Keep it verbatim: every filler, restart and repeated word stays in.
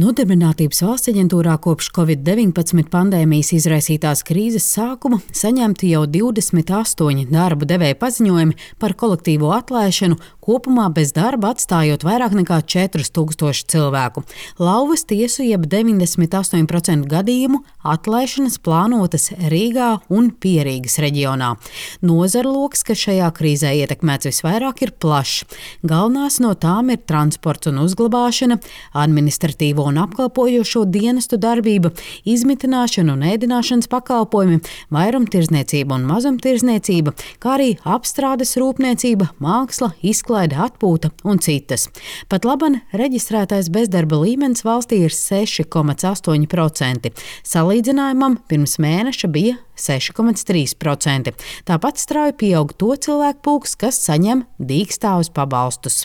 Nodarbinātības valsts aģentūrā kopš covid deviņpadsmit pandēmijas izraisītās krīzes sākuma saņemti jau divdesmit astoņi darba devēja paziņojumi par kolektīvo atlaišanu, kopumā bez darba atstājot vairāk nekā četrus tūkstošus cilvēku. Lauvas tiesu jeb deviņdesmit astoņi procenti gadījumu atlaišanas plānotas Rīgā un Pierīgas reģionā. Nozaru loks, kas šajā krīzē ietekmēts visvairāk, ir plašs. Galvenās no tām ir transports un uzglabāšana, administratīvo un apkalpojošo dienestu darbība, izmitināšana un ēdināšanas pakalpojumi, vairumtirdzniecība un mazumtirdzniecība, kā arī apstrādes rūpniecība, māksla, izklaide, atpūta un citas. Pat laban reģistrētais bezdarba līmenis valstī ir seši komats astoņi procenti. Salīdzinājumam pirms mēneša bija seši komats trīs procenti. Tāpat strauji pieaug to cilvēku pulks, kas saņem dīkstāvus pabalstus.